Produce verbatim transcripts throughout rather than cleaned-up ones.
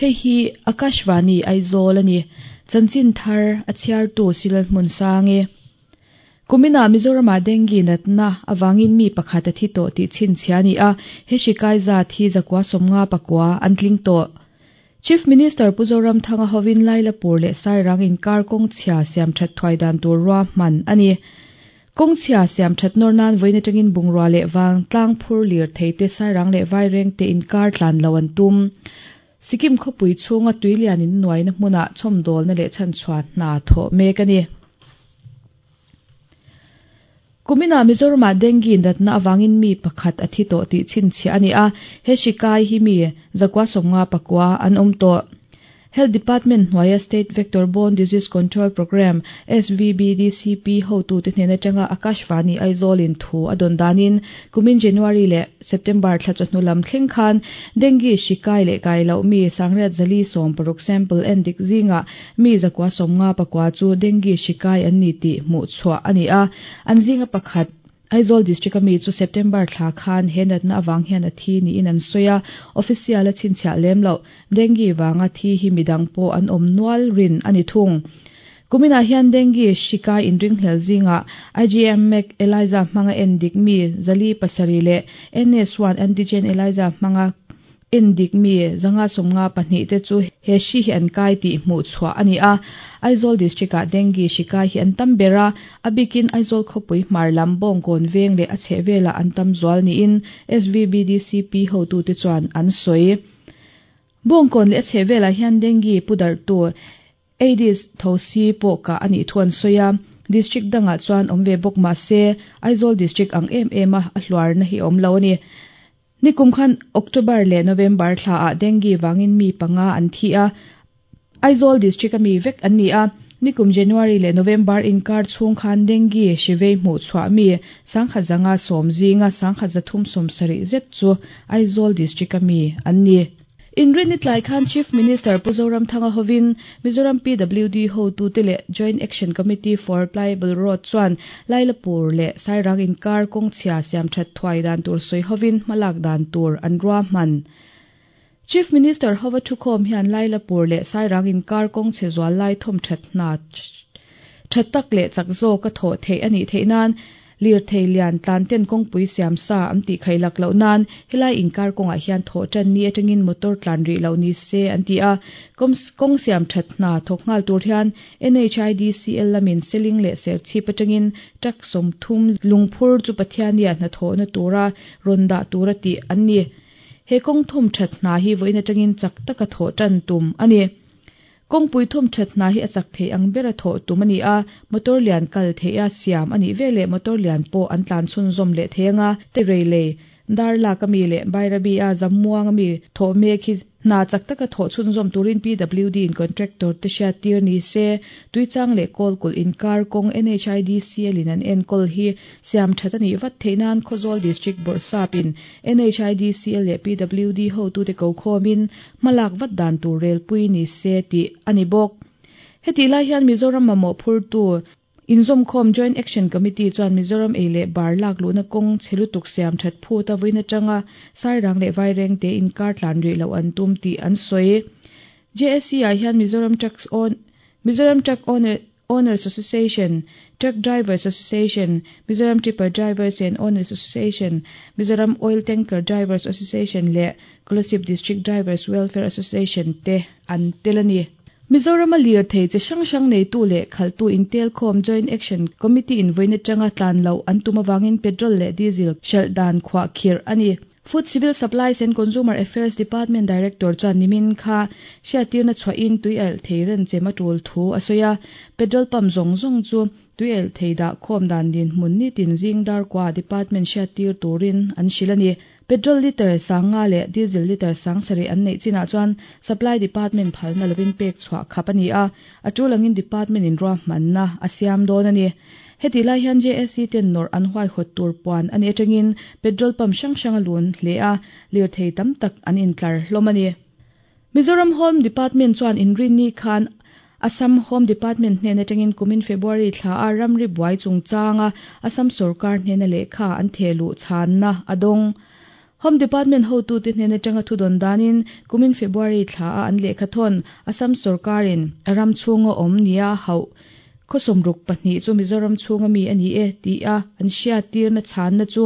Hei hi Akashvani Aizawl a ni. Chanchin thar a chhiartu Silal hmun sang e. Kumina Mizorama dengue natna awangin mi pakhat a thi tawh tih chhinchhiah a ni a, he hri kai zat hi zakua sawmnga pakua an tling tawh. Chief Minister Pu Zoramthanga hovin Lailapur leh Sairang inkar kawng chhia siam that thuai dan tur ruahman a ni. Kawng chhia siam that nawr nan vawiin atangin bungrua leh vang tlang phur lir thei te Sairang leh Vaireng te inkar tlan lo an tum. Sikkim khawpui chhunga tuilian in nuaina hmunah chhawmdawlna leh chhanchhuah hna thawh mek a ni. Kumina Mizorama dengue natna awangin mi pakhat a thi tawh tih chhinchhiah a ni a, he hri kai hi mi zakua sawmnga pakua an awm tawh. Health Department hnuaia State Vector Borne Disease Control Programme, S V B D C P hotu te hnen atanga Akashvani Aizawl in thu a dawn danin kumin January leh September thla chawhnu lam thleng khan dengue hri kai leh kai loh mi sangriat zali sawm paruk sample en dik zingah mi zakua sawmnga pakua chu dengue hri kai an ni tih hmuh chhuah a ni a, an zinga pakhat Aizawl District ami chu September thla khan he natna awang hian a thi niin an sawi a, official a chhinchhiah lem loh. Dengue wanga thi hi midang pawh an awm nual rin a ni thung. Kuminah hian dengue hri kai inringhlel zingah I G M MEC ELISA hmanga en dik mi zali pasarih leh N S one antigen ELISA hmanga en dik mi zanga sawmnga pahnih te chu he hri hi an kai tih hmuh chhuah a ni a. Aizawl District ah dengue hri kai hi an tam ber a, a bikin Aizawl khawpui hmar lam Bawngkawn veng leh a chhehvelah an tam zual niin S V B D C P hotute chuan an sawi. Bawngkawn leh a chhehvelah hian dengue pudarhtu Aedes thosi pawh kah a nih thu an sawi a, district dangah chuan awm ve bawk mah se Aizawl District ang em em a a hluarna hi awm lo a ni. Nikum khan October leh November thla ah dengue wangin mi panga an thi a, Aizawl District ami vek an ni a. Nikum January leh November inkar chhung khan dengue hri vei hmuh chhuah mi sangkhat zanga sawm zinga sangkhat zathum sawm sarih zet chu Aizawl District ami an ni. Inrin ni tlai khan Chief Minister Pu Zoramthanga hovin Mizoram P W D hotute leh Joint Action Committee for Pliable Road chuan Lailapur leh Sairang inkar kawng chhia siam that thuai dan tur sawi hovin hmalak dan tur an ruahman. Chief Minister hova thukhawm hian Lailapur leh Sairang inkar kawng chhe zual lai thawm that hna that tak leh chak zawk a thawh theih a nih theih nan lir thei lian tlan ten kawngpui siam sa an tih khailak loh nan helai inkar kawngah hian thawh tan ni atangin motor tlan rih loh ni se an ti a. Kawng siam that hna thawk nghal tur hian N H I D C L lamin Seling leh Serchhip atangin truck sawmthum lungphur chu Pathiania hnathawhna tura rawn dah tura tih an ni. He kawng thawm that hna hi vawiin atangin chak taka thawh tan tum a ni. Kawngpui thawm that hna hi a chak thei ang bera thawh tum a ni a, motor lian kal thei a siam a nih veleh motor lian pawh an tlan chhunzawm leh thei anga. Te reilei Darlak ami leh Bairabi a Zamuang ami thawh mek hi hna chak taka thawh chhunzawm turin P W D in contractor te hriat tir ni se. Tuichang leh Kawlkulh inkar kawng N H I D C L in an enkawl hi siam that a nih vat theih nan Khawzawl District Bawrhsap in N H I D C L leh P W D hotute ko khawmin hmalak vat dan tur relpui ni se tih a ni bawk. Heti lai hian Mizoram mamawh phurtu inzawmkhawm Joint Action Committee chuan Mizoram ei leh bar lak luhna kawng chhe lutuk siam that phut a vawiin atanga Sairang leh Vaireng te inkar tlan rih loh an tum tih an sawi. J A C ah hian Mizoram Trucks on Mizoram Truck Owner Owners Association, Truck Drivers Association, Mizoram Tipper Drivers and Owners Association, Mizoram Oil Tanker Drivers Association leh Kolasib District Drivers Welfare Association te an tel a ni. Mizoram a lir thei chi hrang hrang neitu leh khaltu intel khawm Joint Action Committee in vawiin atanga tlan loh an tum awangin petrol leh diesel hralh dan khuah khirh a ni. Food, Civil Supplies and Consumer Affairs Department Director chuan nimin kha hriattirna chhuahin tui alh thei ren chem a tul thu a sawi a, petrol pump zawng zawng chu tui alh thei dah khawm dan din hmun ni tin zing dar kwa department hriattir turin an hrilh a ni. Petrol liter sanga leh diesel liter sang sarih an neih chinah chuan supply department phalna lovin pek chhuah khap a ni a, a tulangin department in ruahmanna a siam dawn a ni. Heti lai hian J A C ten nawrh an huaihawt tur puan ani atangin petrol pump hrang hrang a lun hle a, lir thei tam tak an intlar hlawm a ni. Mizoram Home Department chuan inrin ni khan Assam Home Department hnen atangin kumin February thla a ramri buai chungchanga Assam sarkar hnena lehkha an thehluh chhanna a dawng. Home Department hotu te hnen atanga thu dawn danin kumin February thla a an lehkha thawn Assam sorkarin a ram chhunga awm nia hauh khaw sawmruk pahnih chu Mizoram chhunga mi ani e ti a an hriat tirna chhanna chu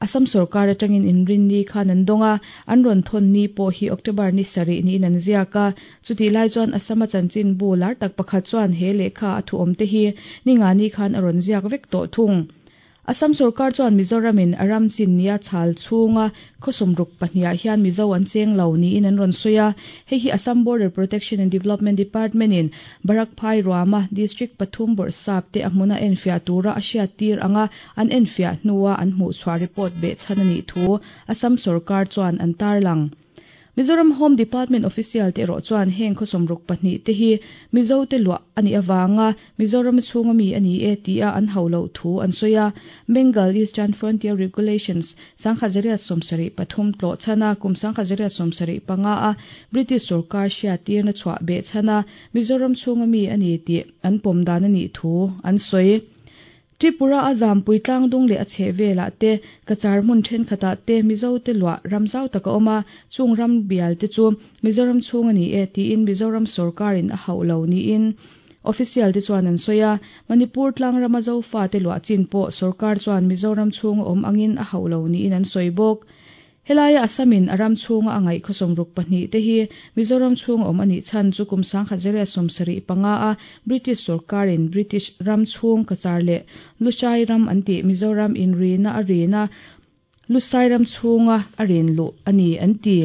Assam sarkar atangin inrin ni khan an dawnga an rawn thawn ni pawh hi October ni sarih niin an ziak a chuti lai chuan Assam a chanchin bu lar tak pakhat chuan he lehkha a thu awm te hi ni nga ni khan a rawn ziak vek tawh thung. Assam sarkar chuan Mizoramin a ram chin nia chhal chhunga khaw sawmruk pahnih ah hian Mizo an cheng lo niin an rawn sawi a hei hi Assam Border Protection and Development Department in Barak Phai Ruama District pathum bawrhsap te a hmuna enfiah tura a hriat tir anga an enfiah hnua an hmuh chhuah report beh chhan ani thu Assam sarkar chuan an tarlang. Mizoram Home Department official te erawh chuan heng khaw sawmruk pahnih te hi Mizo te luah ani awanga Mizoram chhunga mi ani e tia an haulo thu an sawi a Bengal Eastern Frontier Regulations sangkhat zariat sawmsarih pathum tlo chana kum sangkhat zariat sawmsarih panga a British sarkar hriat tirna chhuah beh chana Mizoram chhunga mi ani ti an pawm dan ani thu an sawi. Tripura a zampui tlangdung leh a chheh velah te kachar hmun thenkhatah te Mizo te luah ramzau taka awm a chung ram bial te chu Mizoram chhung ani e tiin Mizoram sarkarin a hauh lo niin official te chuan an sawi a Manipur tlang rama zofa te luah chin pawh sarkar chuan Mizoram chhung awm angin a hauh lo niin an sawi bawk. Helai Assamin a ram chhunga a ngaih khaw sawmruk pahnih te hi Mizoram chhung awm ani chhan chu kum sangkhat zariat sawmsarih panga a British sarkarin British ram chhung kachar leh Lushai ram an ti Mizoram inrina a rina Lushai ram chhunga a rin lu ani an ti.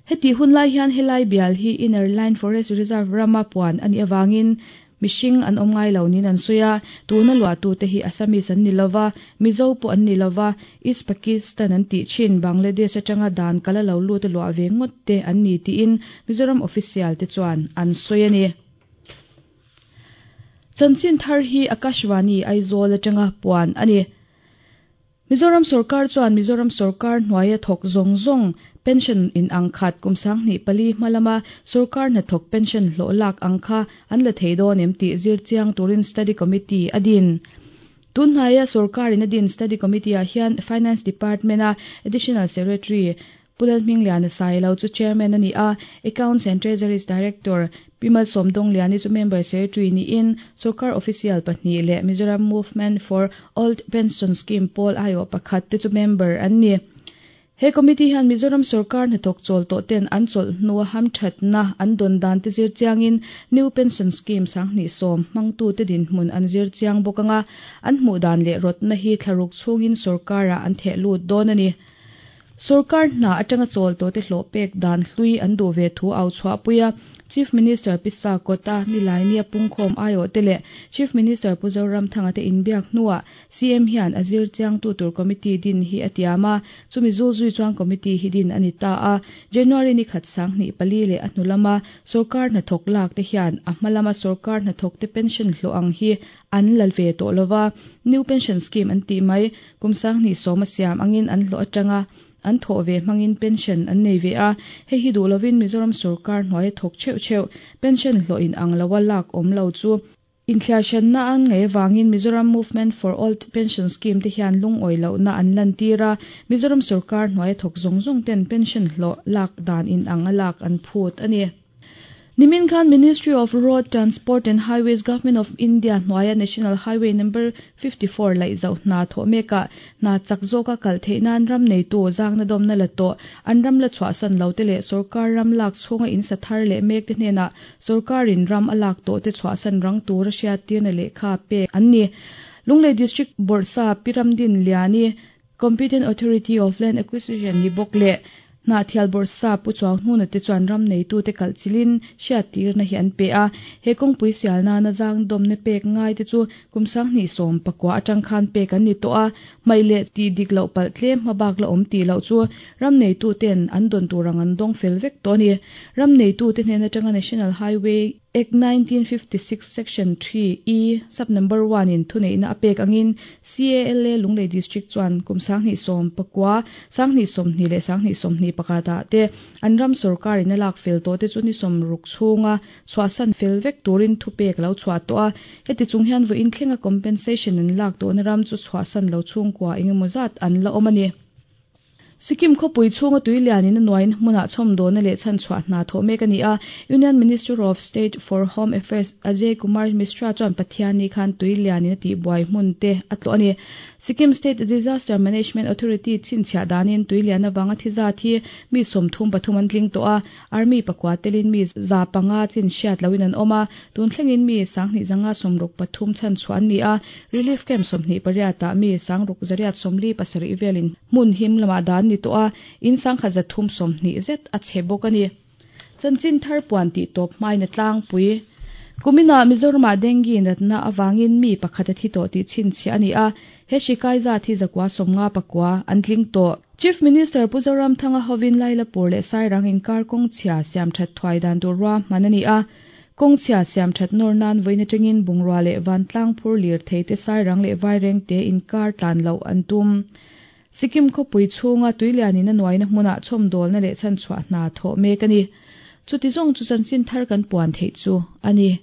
Heti hunlai hian helai bial hi Inner Line Forest Reserve rama puan ani awangin mihring an awm ngai lo niin an sawi a tuna luah tu te hi Assamese an ni lova Mizo pawh an ni lova East Pakistan an tih thin Bangladesh atanga dan kala lo lut a luah ve ngawt te an ni tiin Mizoram official te chuan an sawi ani. Chanchin thar hi Akashvani Aizawl atanga puan ani. Mizoram sarkar chuan Mizoram sarkar hnuaia thawk zawng zawng pension in ang khat kum sanghnih pali hmalama sarkar hna thawk pension hlawh lak ang kha an la thei dawn em tih zir chiang turin study committee a din. Tunhnaia sarkarin a din study committee ah hian Finance Department a Additional Secretary Pulal Hmingliana Sailo chu chairman ani a Accounts and Treasuries Director Pimal Somdong Liani chu member secretary niin sarkar official pahnih leh Mizoram Movement for Old Pension Scheme pawl aio pakhat te chu member an ni. He committee hian Mizoram sarkar hnathawk chawl tawh ten an chawlh hnua hamthatna an dawn dan te zir chiangin New Pension Scheme sanghnih sawm hmangtu te dinhmun an zir chiang bawk anga an hmuh dan leh rawtna hi thlaruk chhungin sarkarah an theh lut dawn ani. Sarkar hna atanga chawl tawh te hlawh pek dan hlui an duh ve thu au chhuah puia Chief Minister Pisa Kota Nilaini a pungkhawm aio te leh Chief Minister Pu Zoramthanga te inbiak hnuah C M hian a zir chiang tu tur committee din hi a tiam a chumi zul zui chuan committee hi din ani ta a January ni khat sanghnih pali leh a hnulama sarkar hnathawk lak te hian a hmalama sarkar hnathawk te pension hlawh ang hi an lal ve tawh lova New Pension Scheme an tih mai kum sanghnih sawm a siam angin an hlawh atanga an thawh ve hmangin pension an nei ve a hei hi duh lovin Mizoram sarkar hnuaia thawk theuh theuh pension hlawh in ang loa lak awm lo chu inthliahhranna an ngei awangin Mizoram Movement for Old Pension Scheme te hian lungawi lohna an lan tir a Mizoram sarkar hnuaia thawk zawng zawng ten pension hlawh lak dan in ang a lak an phut ani. Nimin khan Ministry of Road Transport and Highways Government of India hnuaia National Highway number fifty-four laih zauh hna thawh mekah hna chak zawka kal theih nan ram neitu zangna dawmna la tawh an ram la chhuahsan lo te leh sarkar ram lak chhunga in sa thar leh mek te hnenah sarkarin ram a lak tawh te chhuahsan rang tur a hriat tirna lehkha pek an ni. Lunglei District Bawrhsa Piramdin Liani Competent Authority of Land Acquisition ni bawk leh hna thial bawrhsa pu chuang hnuna te chuan ram neitu te kalh chilin hriat tirna hi an pe a he kawngpui sial nana zang dawmna pek ngai te chu kum sanghnih sawm pakua atang khan pek an ni tawh a hmai leh tih dik loh palh tlem hmabak la awm tih loh chu ram neitu ten an dawn turang an dawng fel vek tawh ani. Ram neitu te hnen atanga National Highway Act nineteen fifty-six Section three E sub number one in thuneihna a pek angin C A L A Lunglei District chuan kum sanghnih sawm pakua sanghnih sawmhnih leh sanghnih sawmhnih pakhatah te an ram sarkarin a lak fel tawh te chu ni sawmruk chhunga chhuahsan fel vek turin thu pek lo chhuah tawh a heti chung hian vawiin thlenga compensation an lak tawhna ram chu chhuahsan lo chhungkua engemaw zat an la awm ani. Sikkim khawpui chhunga tuilianin a nuain hmunah chhawmdawlna leh chhanchhuah hna thawh mek a ni a. Union Minister of State for Home Affairs Ajay Kumar Mishra chuan Pathianni khan tuilianin a tihbuai hmun te a tlawh a ni. Sikkim State Disaster Management Authority chhinchhiah danin tuilian avanga thi zat hi mi sawmthum pathum an tling tawh a. Army pakua telin mi za panga chin hriat loin an awm a. Tun thlengin mi sanghnih zanga sawmruk pathum chhanchhuah an ni a. Relief camp sawmhnih pariatah mi sangruk zariat sawmli pasarih velin hmun him lamah dan ni tawh a. In sangkhat zathum sawmhnih zet a chhe bawk a ni. Chanchin thar puan tih tawp hmain a tlangpui. Kuminah Mizoramah dengue natna awangin mi pakhat a thi tawh tih chhinchhiah a ni a. He hri kai zat hi zakua sawmnga pakua an tling tawh. Chief Minister Pu Zoramthanga hovin Lailapur leh Sairang inkar kawng chhia siam that thuai dan tur ruahman a ni a. Kawng chhia siam that nawr nan vawiin atangin bungrua leh vantlang phur lir thei te Sairang leh Vaireng te inkar tlan loh an tum. Sikkim khawpui chhunga tuilianin a nuaina hmunah chhawmdawlna leh chhanchhuah hna thawh mek a ni. Chuti zawng chu chanchin thar kan puan theih chu a ni.